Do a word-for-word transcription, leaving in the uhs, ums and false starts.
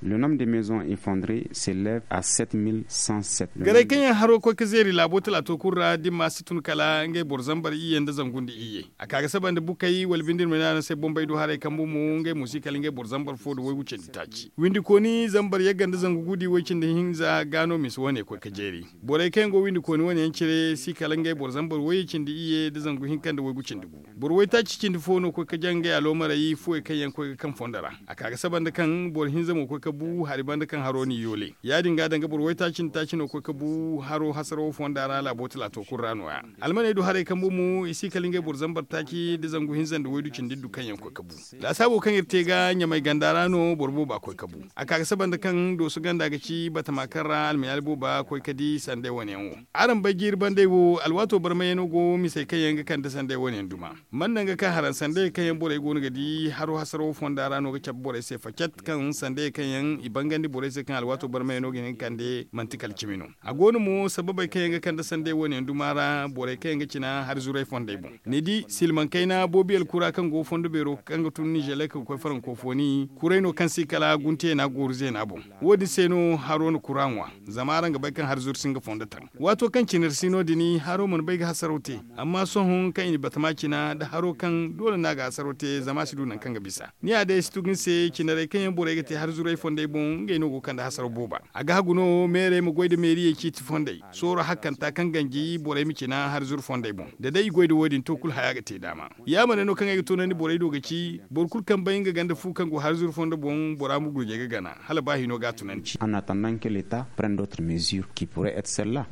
Le nombre de maisons effondrées s'élève à sept mille cent sept. Garay kaŋ yaŋ haro koy ga zeeri laabo talaato kulu ra da ni ma si tun kala ngey boro zambar iyye nda zangu nda iyye. A ka ga saba nda bukey wala binde nda ma ne araŋ se bombey du haray kambu mo ngey mo si kala ngey boro zambar fo nda waygu cindi taaci windi kooni zambar yagga nda zangu guudi way cindi hinza ga no misa wane koy ga jeeri. Borey kaŋ yaŋ go windi kooni wane yaŋ cire si kala ngey boro zambar wayye cindi iyye nda zangu hinka nda waygu cindi gu. Boro waytaaci cindi fo no koy ga jaŋ ngey aloomarey fuwey kaŋ yaŋ koy ga kaŋ fondo ra. A ka ga saba nda kaŋ boro hinza mo koy ga bu hari banda kaŋ haro n'i yoole ya- din ga danga boro waytaaci nda taaci no koy ga bu haro hasarawo fonda ra laabo talaato kulu ra no- ya. Almaney du haray kambu mo i si kala ngey boro zambar taaci nda zangu hinza nda waydu cindi du kaŋ yaŋ koy ga bu. Laasaabo kaŋ iri te ga ɲamay ganda ra no boro booba koy ga bu. A ka ga saba nda kaŋ dooso ganda ga ci batama kaŋ ra almayaali booba koy ga di sanday wane yaŋ wo. Araŋ bay jiiri bandey wo alwaato barmayano go misey kaŋ yaŋ ga kande sanday wane yaŋ duma. Man naŋ ga ka haraŋ sanday kaŋ yaŋ borey go no ga di haro hasarawo fonda ra no ga cabe borey se facet kaŋ sanday kaŋ yaŋ i bangandi borey se kaŋ alwaato barmayano ga hin ga kande manti kala cimi no. A go no mo sababey kaŋ yaŋ ga kande sanday wane yaŋ duma ra borey kaŋ yaŋ ga cina hari zuray fondey boŋ. Ni di silmaŋ kayna boobi alkura kaŋ go fondo beero kaŋ ga tun nizelek ga koy farankofooni kuray no kaŋ si kala gunteena gooru zeena boŋ. Wo- din se no haro na kura ŋwa. Zama araŋ ga bay kaŋ hari zuru si nga fondo taŋ waato kaŋ cinari si no- din haro mana bay ga hasaraw te. Amma sohõ kaŋ i na batama cina nda haro kaŋ doole no a ga hasaraw te zama a si du nangu kaŋ ga bisa. Ni ya day ay si tugu ni se cinarey kaŋ yaŋ borey ga te hari zuray fondey boŋ ngey no go ga kande hasaraw booba. A ga hagu no meerey ma goy nda meeriyey ciiti fondey sooro hakkanta kaŋ ganji borey ma cina hari zuru fondey boŋ da day i goy nda wo- din to kulu haya ga te daama. Yaamar no kaŋ ay ga toonandi borey do ga ci boro kulu kaŋ bay nga ganda fu kaŋ go hari zuru fondo boŋ bora ma gurjey ga gana hala ba hino ga a tunandi. En attendant que l'état prenne d'autres mesures qui pourraient être celles là.